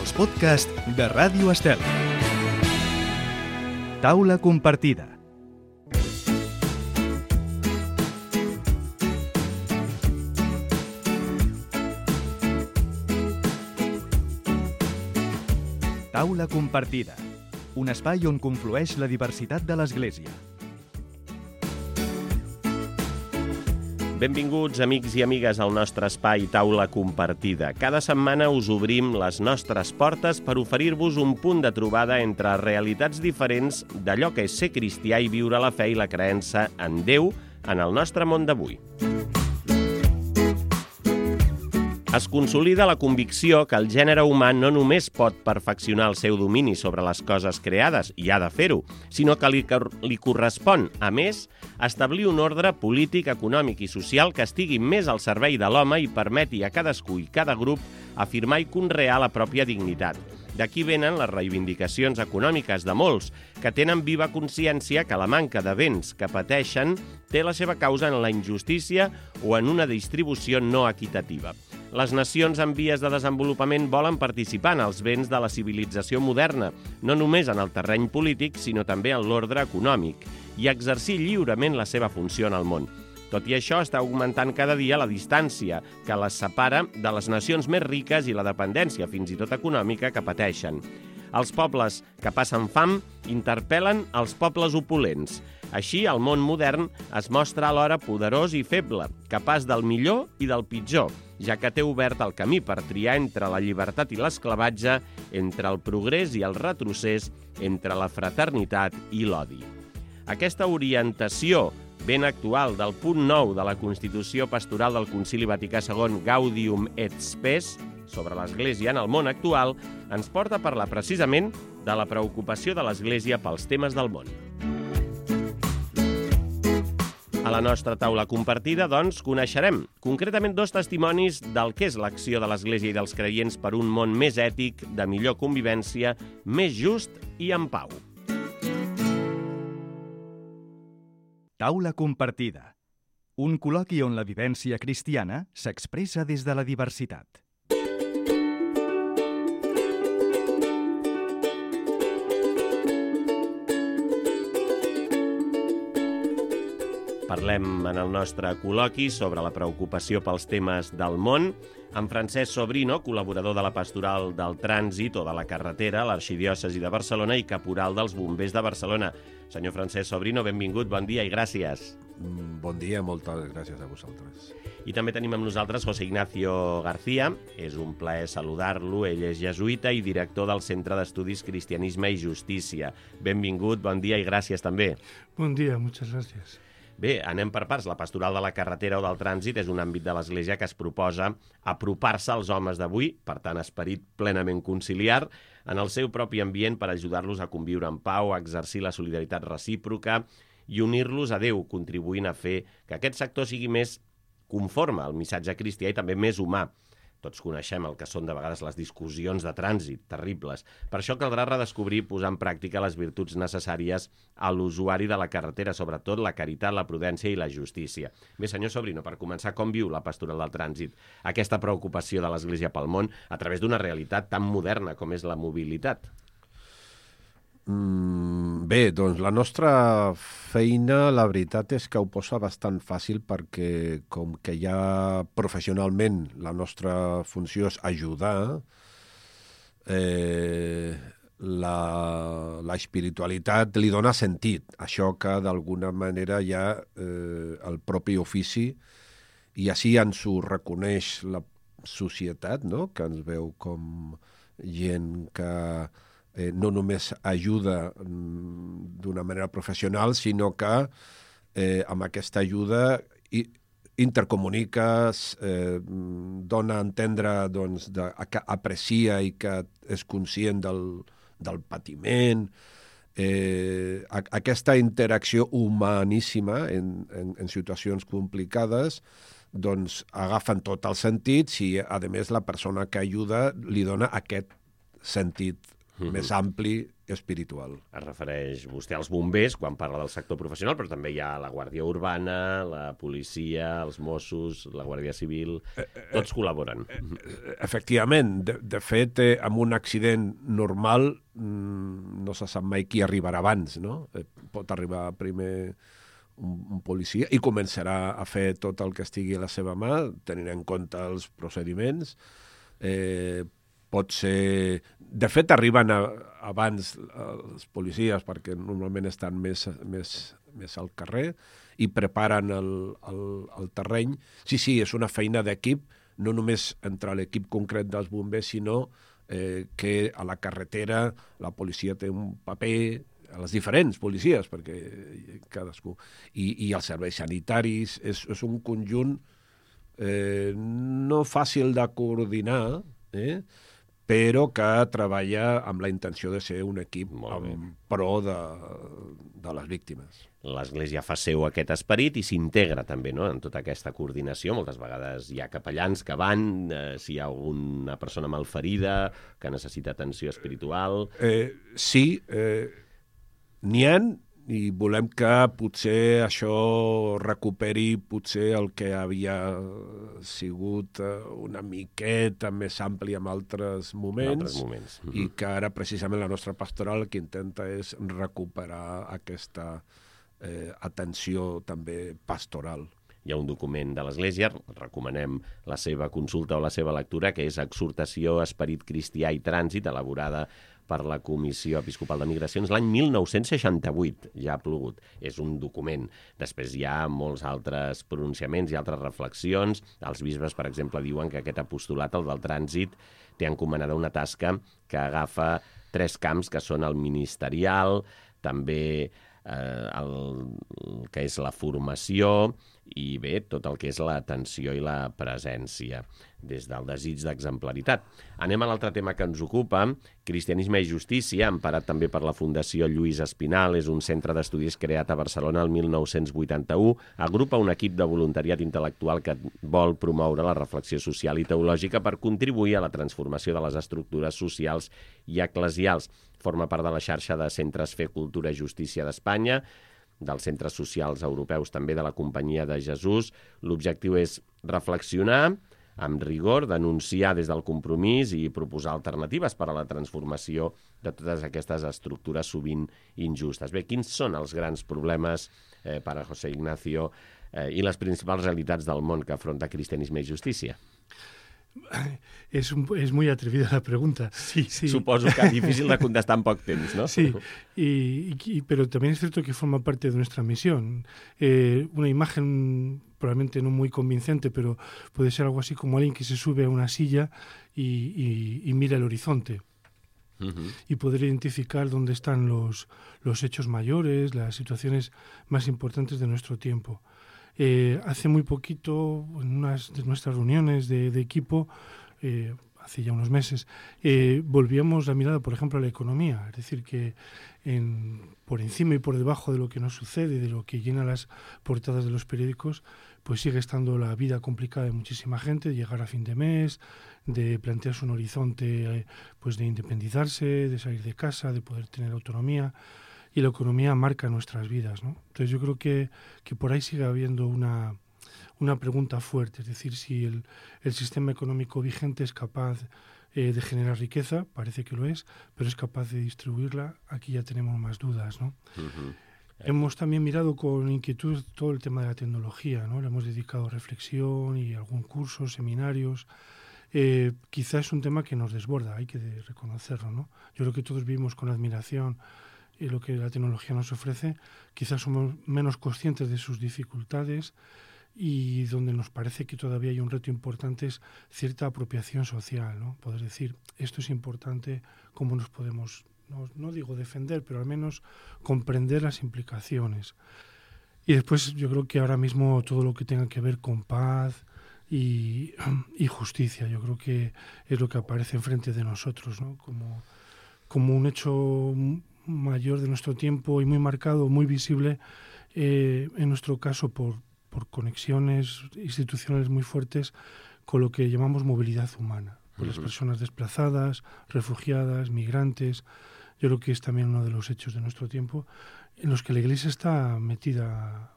els podcasts de Ràdio Estel. Taula compartida. Taula compartida, un espai on conflueix la diversitat de l'Església. Benvinguts, amics i amigues, al nostre espai Taula Compartida. Cada setmana us obrim les nostres portes per oferir-vos un punt de trobada entre realitats diferents d'allò que és ser cristià i viure la fe i la creença en Déu en el nostre món d'avui. Es consolida la convicció que el gènere humà no només pot perfeccionar el seu domini sobre les coses creades, i ha de fer-ho, sinó que li correspon, a més, establir un ordre polític, econòmic i social que estigui més al servei de l'home i permeti a cadascú i cada grup afirmar i conrear la pròpia dignitat. D'aquí venen les reivindicacions econòmiques de molts, que tenen viva consciència que la manca de béns que pateixen té la seva causa en la injustícia o en una distribució no equitativa. Les nacions en vies de desenvolupament volen participar en els béns de la civilització moderna, no només en el terreny polític, sinó també en l'ordre econòmic, i exercir lliurement la seva funció en el món. Tot i això, està augmentant cada dia la distància que les separa de les nacions més riques i la dependència, fins i tot econòmica, que pateixen. Els pobles que passen fam interpel·len els pobles opulents. Així, el món modern es mostra alhora poderós i feble, capaç del millor i del pitjor, ja que té obert el camí per triar entre la llibertat i l'esclavatge, entre el progrés i el retrocés, entre la fraternitat i l'odi. Aquesta orientació ben actual del punt 9 de la Constitució Pastoral del Concili Vaticà II Gaudium et Spes sobre l'Església en el món actual ens porta a parlar precisament de la preocupació de l'Església pels temes del món. A la nostra taula compartida, doncs, coneixerem concretament dos testimonis del que és l'acció de l'Església i dels creients per un món més ètic, de millor convivència, més just i en pau. Taula compartida, un col·loqui on la vivència cristiana s'expressa des de la diversitat. Parlem en el nostre col·loqui sobre la preocupació pels temes del món amb Francesc Sobrino, col·laborador de la Pastoral del Trànsit o de la Carretera, l'Arxidiòcesi de Barcelona i caporal dels Bombers de Barcelona. Senyor Francesc Sobrino, benvingut, bon dia i gràcies. Bon dia, moltes gràcies a vosaltres. I també tenim amb nosaltres José Ignacio García. És un plaer saludar-lo. Ell és jesuïta i director del Centre d'Estudis Cristianisme i Justícia. Benvingut, bon dia i gràcies també. Bon dia, moltes gràcies. Bé, anem per parts. La pastoral de la carretera o del trànsit és un àmbit de l'Església que es proposa apropar-se als homes d'avui, per tant, esperit plenament conciliar, en el seu propi ambient per ajudar-los a conviure en pau, a exercir la solidaritat recíproca i unir-los a Déu, contribuint a fer que aquest sector sigui més conforme al missatge cristià i també més humà. Tots coneixem el que són de vegades les discussions de trànsit, terribles. Per això caldrà redescobrir i posar en pràctica les virtuts necessàries a l'usuari de la carretera, sobretot la caritat, la prudència i la justícia. Bé, senyor Sobrino, per començar, com viu la pastoral del trànsit aquesta preocupació de l'Església pel món a través d'una realitat tan moderna com és la mobilitat? Bé, doncs la nostra feina, la veritat és que ho posa bastant fàcil perquè com que ja professionalment la nostra funció és ajudar, la espiritualitat li dona sentit. Això que d'alguna manera ja el propi ofici, i així ens ho reconeix la societat, no? Que ens veu com gent que no només ajuda d'una manera professional, sinó que amb aquesta ajuda intercomuniques, dona a entendre doncs, que aprecia i que és conscient del patiment. Aquesta interacció humaníssima en situacions complicades doncs agafen tot el sentit si, a més, la persona que ajuda li dona aquest sentit més ampli espiritual. Es refereix vostè als bombers quan parla del sector professional, però també hi ha la Guàrdia Urbana, la policia, els Mossos, la Guàrdia Civil... Tots col·laboren. Efectivament. De fet, amb un accident normal no se sap mai qui arribarà abans, no? Pot arribar primer un policia i començarà a fer tot el que estigui a la seva mà, tenint en compte els procediments. Pot ser... De fet, arriben abans els policies, perquè normalment estan més al carrer i preparen el terreny. Sí, és una feina d'equip, no només entre l'equip concret dels bombers, sinó que a la carretera la policia té un paper, a les diferents policies, perquè cadascú... I els serveis sanitaris, és un conjunt no fàcil de coordinar, però que treballa amb la intenció de ser un equip en pro de les víctimes. L'Església fa seu aquest esperit i s'integra també, no?, en tota aquesta coordinació. Moltes vegades hi ha capellans que van, si hi ha alguna persona malferida, que necessita atenció espiritual... Sí, n'hi ha, i volem que potser això recuperi potser el que havia sigut una miqueta més ampli en altres moments. I que ara precisament la nostra pastoral el que intenta és recuperar aquesta atenció també pastoral. Hi ha un document de l'Església, recomanem la seva consulta o la seva lectura, que és Exhortació, Esperit Cristià i Trànsit, elaborada per la Comissió Episcopal de Migracions l'any 1968, ja ha plogut. És un document. Després hi ha molts altres pronunciaments i altres reflexions. Els bisbes, per exemple, diuen que aquest apostolat, el del trànsit, té encomanada una tasca que agafa 3 camps, que són el ministerial, també el que és la formació i bé, tot el que és l'atenció i la presència, des del desig d'exemplaritat. Anem a l'altre tema que ens ocupa, Cristianisme i Justícia, emparat també per la Fundació Lluís Espinal, és un centre d'estudis creat a Barcelona el 1981, agrupa un equip de voluntariat intel·lectual que vol promoure la reflexió social i teològica per contribuir a la transformació de les estructures socials i eclesials. Forma part de la xarxa de Centres Fe, Cultura i Justícia d'Espanya, dels centres socials europeus, també de la Companyia de Jesús. L'objectiu és reflexionar amb rigor, denunciar des del compromís i proposar alternatives per a la transformació de totes aquestes estructures sovint injustes. Bé, quins són els grans problemes per a José Ignacio i les principals realitats del món que afronta Cristianisme i Justícia? Es muy atrevida la pregunta. Sí, suposo que es difícil de contestar en poco tiempo, ¿no? Sí, pero también es cierto que forma parte de nuestra misión. Una imagen probablemente no muy convincente, pero puede ser algo así como alguien que se sube a una silla y mira el horizonte. Y poder identificar dónde están los hechos mayores, las situaciones más importantes de nuestro tiempo. Hace muy poquito, en unas de nuestras reuniones de equipo, hace ya unos meses, volvíamos la mirada, por ejemplo, a la economía. Es decir, que por encima y por debajo de lo que nos sucede, de lo que llena las portadas de los periódicos, pues sigue estando la vida complicada de muchísima gente, de llegar a fin de mes, de plantearse un horizonte pues de independizarse, de salir de casa, de poder tener autonomía. Y la economía marca nuestras vidas, ¿no? Entonces yo creo que por ahí sigue habiendo una pregunta fuerte, es decir, si el sistema económico vigente es capaz de generar riqueza, parece que lo es, pero es capaz de distribuirla, aquí ya tenemos más dudas, ¿no? Hemos también mirado con inquietud todo el tema de la tecnología, ¿no? Le hemos dedicado reflexión y algún curso, seminarios. Quizá es un tema que nos desborda, hay que reconocerlo, ¿no? Yo creo que todos vivimos con admiración lo que la tecnología nos ofrece, quizás somos menos conscientes de sus dificultades y donde nos parece que todavía hay un reto importante es cierta apropiación social, ¿no? Poder decir, esto es importante, cómo nos podemos, no digo defender, pero al menos comprender las implicaciones. Y después yo creo que ahora mismo todo lo que tenga que ver con paz y justicia, yo creo que es lo que aparece enfrente de nosotros, ¿no? Como un hecho mayor de nuestro tiempo y muy marcado, muy visible, en nuestro caso por conexiones institucionales muy fuertes con lo que llamamos movilidad humana, por las personas desplazadas, refugiadas, migrantes, yo creo que es también uno de los hechos de nuestro tiempo en los que la Iglesia está metida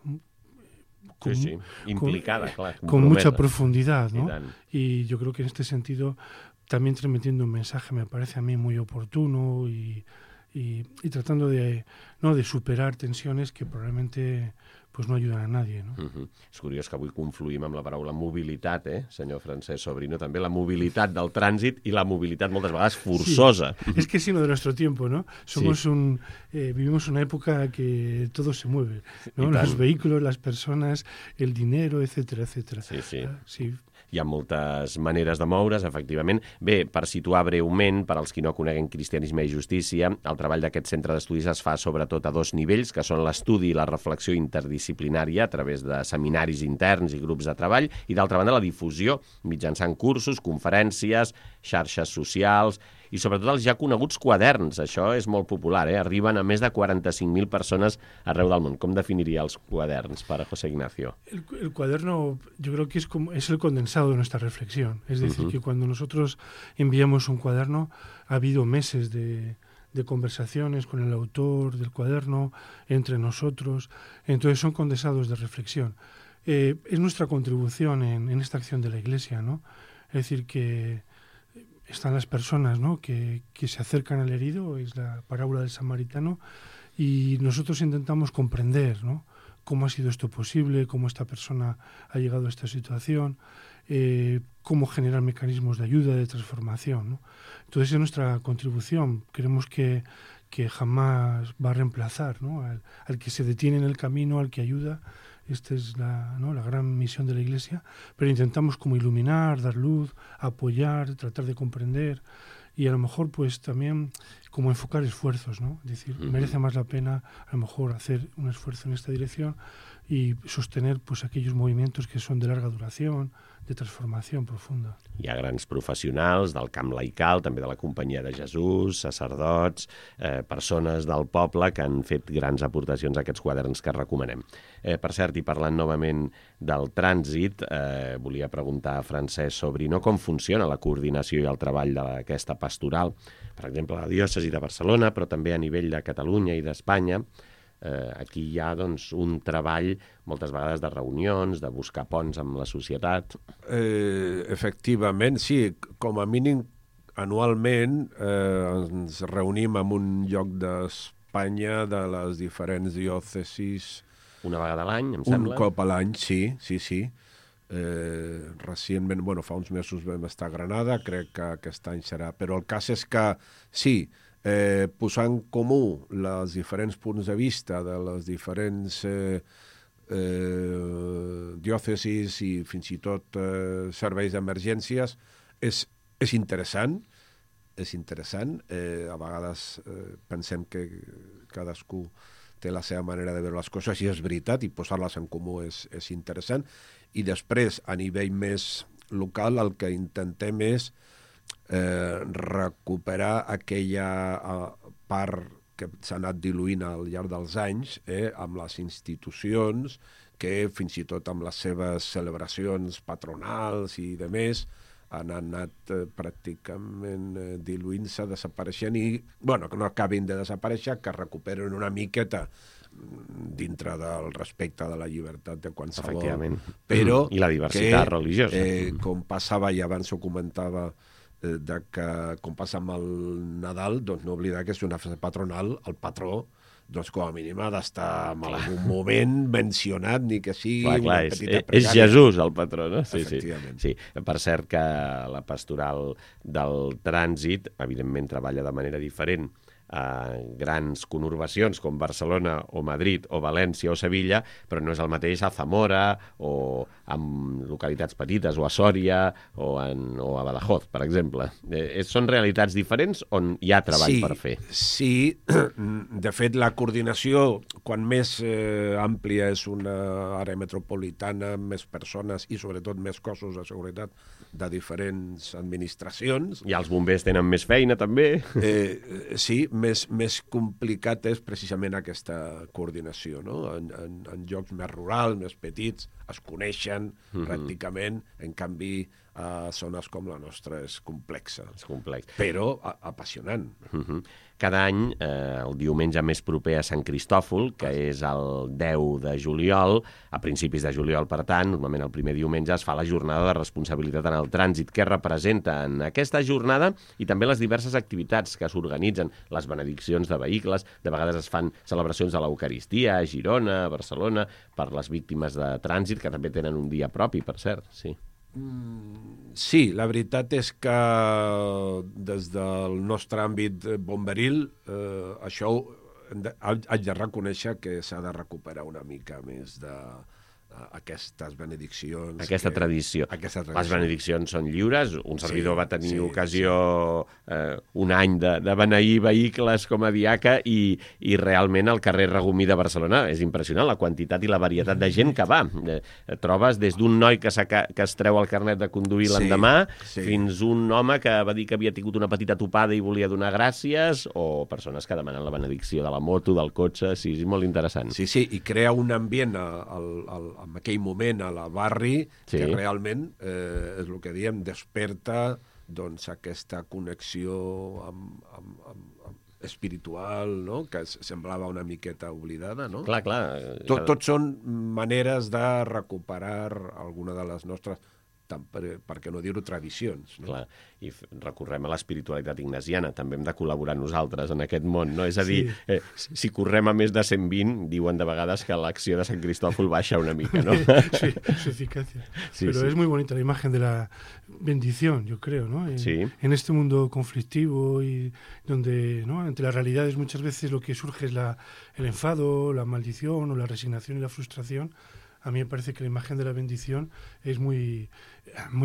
implicada, con mucha profundidad, ¿no? Y yo creo que en este sentido también transmitiendo un mensaje me parece a mí muy oportuno y tratando de superar tensiones que probablement pues no ayuden a nadie, no? És curiós que avui confluïm amb la paraula mobilitat, senyor Francesc Sobrino, també la mobilitat del trànsit i la mobilitat moltes vegades forçosa. Sí. Es que es sino de nuestro tiempo, ¿no? Vivimos una época que todo se mueve, ¿no? Los vehículos, las personas, el dinero, etcétera, etcétera. Sí. Hi ha moltes maneres de moure's, efectivament. Bé, per situar breument, per als qui no coneguen Cristianisme i Justícia, el treball d'aquest centre d'estudis es fa sobretot a 2 nivells, que són l'estudi i la reflexió interdisciplinària a través de seminaris interns i grups de treball, i d'altra banda la difusió mitjançant cursos, conferències, xarxes socials i sobretot els ja coneguts quaderns. Això és molt popular, arriben a més de 45.000 persones arreu del món. Com definiria els quaderns para José Ignacio? El cuaderno yo creo que es el condensado de nuestra reflexión. Es decir, que cuando nosotros enviamos un cuaderno ha habido meses de conversaciones con el autor del cuaderno, entre nosotros. Entonces son condensados de reflexión. Es nuestra contribución en esta acción de la Iglesia, ¿no? Es decir, que están las personas, ¿no?, que se acercan al herido, es la parábola del samaritano, y nosotros intentamos comprender, ¿no?, cómo ha sido esto posible, cómo esta persona ha llegado a esta situación, cómo generar mecanismos de ayuda, de transformación, ¿no? Entonces es nuestra contribución. Creemos que jamás va a reemplazar, ¿no?, al que se detiene en el camino, al que ayuda. Esta es la gran misión de la Iglesia, pero intentamos como iluminar, dar luz, apoyar, tratar de comprender y a lo mejor pues también como enfocar esfuerzos, ¿no? Es decir, merece más la pena a lo mejor hacer un esfuerzo en esta dirección y sostener pues aquellos movimientos que son de larga duración, de transformació profunda. Hi ha grans professionals del camp laical, també de la Companyia de Jesús, sacerdots, persones del poble que han fet grans aportacions a aquests quaderns que recomanem. Per cert, i parlant novament del trànsit, volia preguntar a Francesc Sobrino com funciona la coordinació i el treball d'aquesta pastoral, per exemple, a la diòcesi de Barcelona, però també a nivell de Catalunya i d'Espanya. Aquí hi ha doncs, un treball moltes vegades de reunions, de buscar ponts amb la societat. Efectivament, sí. Com a mínim, anualment ens reunim en un lloc d'Espanya de les diferents diòcesis. Una vegada a l'any, em sembla? Un cop a l'any, sí. Recentment, fa uns mesos vam estar a Granada, crec que aquest any serà. Però el cas és que, sí, posar en comú els diferents punts de vista de les diferents diòcesis i fins i tot serveis d'emergències és interessant. A vegades pensem que cadascú té la seva manera de veure les coses i és veritat, i posar-les en comú és interessant. I després, a nivell més local, el que intentem és recuperar aquella part que s'ha anat diluint al llarg dels anys amb les institucions que fins i tot amb les seves celebracions patronals i demés han anat pràcticament diluint-se, desapareixent i, que no acabin de desaparèixer, que recuperen una miqueta dintre del respecte de la llibertat de qualsevol. Però i la diversitat religiosa. Com passava i abans ho comentava, que com passa amb el Nadal, doncs no oblidar que és una festa patronal, el patró, doncs com a mínim ha d'estar en algun moment mencionat, ni que sigui una petita pregària. És Jesús el patró, no? Efectivament. Sí. Per cert que la pastoral del trànsit, evidentment, treballa de manera diferent a grans conurbacions com Barcelona o Madrid o València o Sevilla, però no és el mateix a Zamora o en localitats petites o a Sòria o a Badajoz, per exemple. Són realitats diferents on hi ha treball per fer? Sí, de fet la coordinació, quan més àmplia és una àrea metropolitana, més persones i sobretot més cossos de seguretat de diferents administracions. I els bombers tenen més feina també? Sí, més complicat és precisament aquesta coordinació, no? En llocs més rurals, més petits, es coneixen pràcticament, en canvi a zones com la nostra és complexa. És complex. Però apassionant. Cada any, el diumenge més proper a Sant Cristòfol, que és el 10 de juliol, a principis de juliol, per tant, normalment el primer diumenge es fa la jornada de responsabilitat en el trànsit. Què representa en aquesta jornada i també les diverses activitats que s'organitzen, les benediccions de vehicles, de vegades es fan celebracions de l'Eucaristia a Girona, a Barcelona, per les víctimes de trànsit, que també tenen un dia propi, per cert, sí. Sí, la veritat és que des del nostre àmbit bomberil això haig de reconèixer que s'ha de recuperar una mica més de aquestes benediccions. Aquesta tradició. Les benediccions són lliures. Un servidor va tenir ocasió un any de beneir vehicles com a diaca i realment el carrer Regomí de Barcelona és impressionant, la quantitat i la varietat de gent que va. Trobes des d'un noi que es treu el carnet de conduir l'endemà fins un home que va dir que havia tingut una petita topada i volia donar gràcies, o persones que demanen la benedicció de la moto, del cotxe. Sí, és molt interessant. Sí, i crea un ambient en aquell moment a la barri que realment, és el que diem, desperta doncs, aquesta connexió espiritual, no? Que semblava una miqueta oblidada. No? Clar. Tot són maneres de recuperar alguna de les nostres, per què no dir-ho, tradicions. No? Clar, i recorrem a l'espiritualitat ignasiana, també hem de col·laborar nosaltres en aquest món, no? És a dir, si correm a més de 120, diuen de vegades que l'acció de Sant Cristòfol baixa una mica, ¿no? Sí, su eficacia. Pero es muy bonita la imagen de la bendición, yo creo, ¿no? En este mundo conflictivo y donde, ¿no? Ante las realidades muchas veces lo que surge es el enfado, la maldición o la resignación y la frustración. A mí me parece que la imagen de la bendición es muy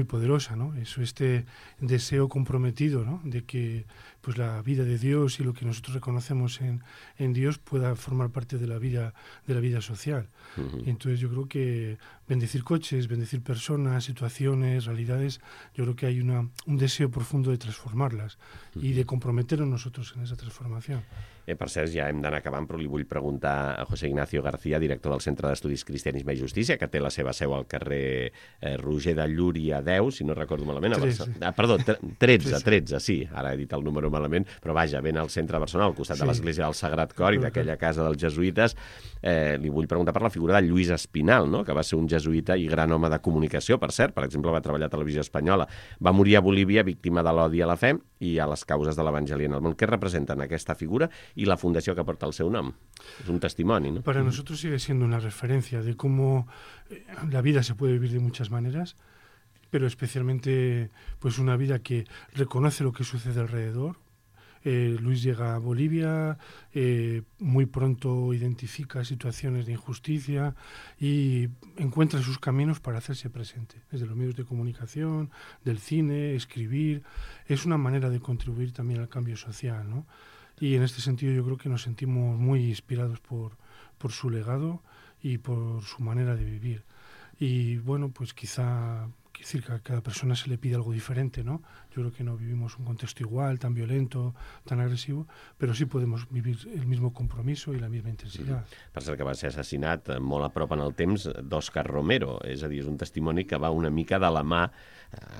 poderosa, ¿no? Eso, este deseo comprometido, ¿no? De que pues la vida de Dios y lo que nosotros reconocemos en Dios pueda formar parte de la vida social. Y entonces yo creo que bendecir coches, bendecir personas, situaciones, realidades, yo creo que hay un deseo profundo de transformarlas y de comprometernos nosotros en esa transformación. Per cert, ja hem d'anar acabant, però li vull preguntar a José Ignacio García, director del Centre d'Estudis Cristianisme i Justícia, que té la seva seu al carrer Roger de Llúria 10, si no recordo malament. 13, sí, ara he dit el número malament, però vaja, ben al centre de Barcelona, al costat de l'Església del Sagrat Cor i d'aquella casa dels jesuïtes. Li vull preguntar per la figura de Lluís Espinal, no? Que va ser un jesuïta i gran home de comunicació, per cert. Per exemple, va treballar a Televisió Espanyola. Va morir a Bolívia víctima de l'odi a la fe i a les causes de l'Evangeli en el món. Què representen aquesta figura y la fundación que porta el seu nom? Es un testimonio, ¿no? Para nosotros sigue siendo una referencia de cómo la vida se puede vivir de muchas maneras, pero especialmente pues una vida que reconoce lo que sucede alrededor. Luis llega a Bolivia, muy pronto identifica situaciones de injusticia y encuentra sus caminos para hacerse presente, desde los medios de comunicación, del cine, escribir. Es una manera de contribuir también al cambio social, ¿no? Y en este sentido yo creo que nos sentimos muy inspirados por su legado y por su manera de vivir. Y bueno, pues quizá decir que a cada persona se le pide algo diferente, ¿no? Yo creo que no vivimos un contexto igual, tan violento, tan agresivo, però sí podemos vivir el mismo compromiso i la misma intensitat. Per cert, que va ser assassinat molt a prop en el temps d'Òscar Romero, és a dir, és un testimoni que va una mica de la mà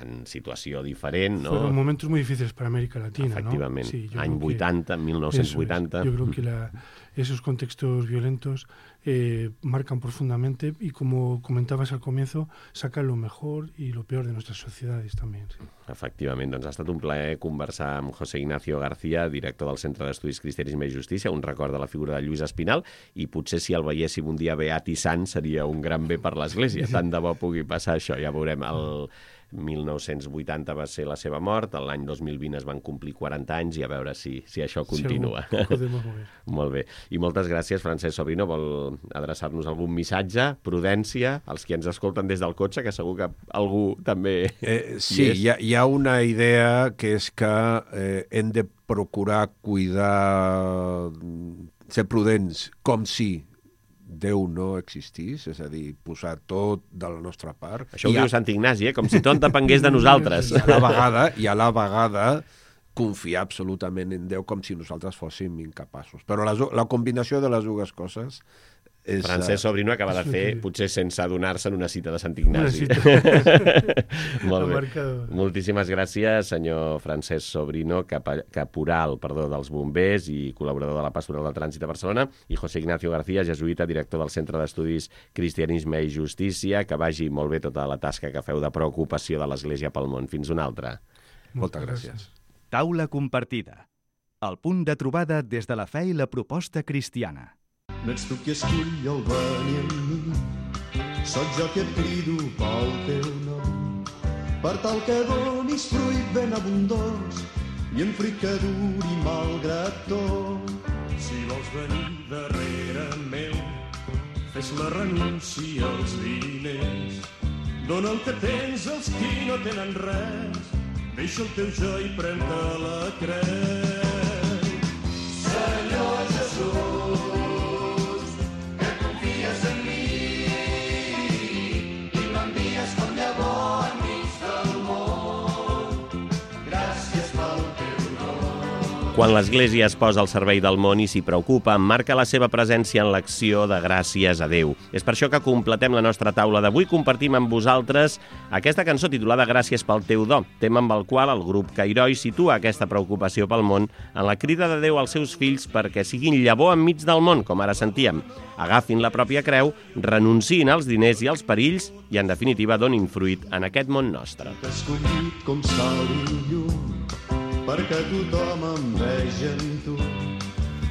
en situació diferent, ¿no? Fueron momentos muy difíciles para América Latina, efectivament, ¿no? Sí, any 80, 1980. Yo creo que esos contextos violentos marcan profundamente y, como comentabas al comienzo, sacan lo mejor y lo peor de nuestras sociedades también. Sí. Efectivament, doncs ha estat un plaer conversar amb José Ignacio García, director del Centre d'Estudis Cristianisme i Justícia, un record de la figura de Lluís Espinal, i potser si el veiéssim un dia beat i sant seria un gran bé per l'Església. Tant de bo pugui passar això, ja veurem. El 1980 va ser la seva mort, l'any 2020 es van complir 40 anys i a veure si això continua. Molt bé. I moltes gràcies, Francesc Sobrino. Vol adreçar-nos algun missatge? Prudència, als qui ens escolten des del cotxe, que segur que algú també... Sí, hi ha una idea que és que hem de procurar cuidar, ser prudents, com si Déu no existís, és a dir, posar tot de la nostra part. Això ho diu Sant Ignasi, com si tot depengués de nosaltres. I a la vegada confiar absolutament en Déu com si nosaltres fóssim incapaços. Però la combinació de les dues coses Francesc Sobrino acaba de fer, potser sense adonar-se'n, una cita de Sant Ignasi. Molt bé. Moltíssimes gràcies, senyor Francesc Sobrino, caporal dels bombers i col·laborador de la Pastoral del Trànsit de Barcelona, i José Ignacio García, jesuïta, director del Centre d'Estudis Cristianisme i Justícia. Que vagi molt bé tota la tasca que feu de preocupació de l'Església pel món. Fins una altra. Moltes gràcies. Taula compartida. El punt de trobada des de la fe i la proposta cristiana. No ets tu qui escull el venir amb mi, soc jo qui et crido pel teu nom, per tal que donis fruit ben abundós i en fruit que duri malgrat tot. Si vols venir darrere meu, fes la renúncia als diners, dona el que tens als qui no tenen res, deixa el teu jo i pren-te la creu. Senyor Jesús, quan l'Església es posa al servei del món i s'hi preocupa, marca la seva presència en l'acció de gràcies a Déu. És per això que completem la nostra taula d'avui. Compartim amb vosaltres aquesta cançó titulada Gràcies pel teu do, tema amb el qual el grup Cairoi situa aquesta preocupació pel món en la crida de Déu als seus fills perquè siguin llavor enmig del món, com ara sentíem. Agafin la pròpia creu, renunciïn als diners i als perills i, en definitiva, donin fruit en aquest món nostre. T'he escollit com sal i llum, perquè tothom em veja en tu.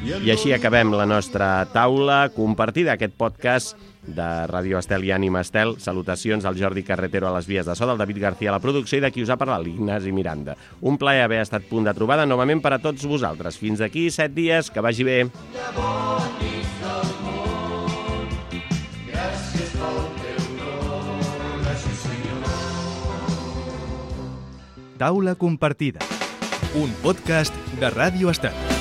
I així acabem la nostra taula compartida, aquest podcast de Ràdio Estel i Ànima Estel. Salutacions al Jordi Carretero a les vies de so, del David García a la producció i de qui us ha parlat, l'Ignasi Miranda. Un plaer haver estat punt de trobada novament per a tots vosaltres. Fins d'aquí 7 dies, que vagi bé. Taula compartida. Un podcast de Ràdio Estel.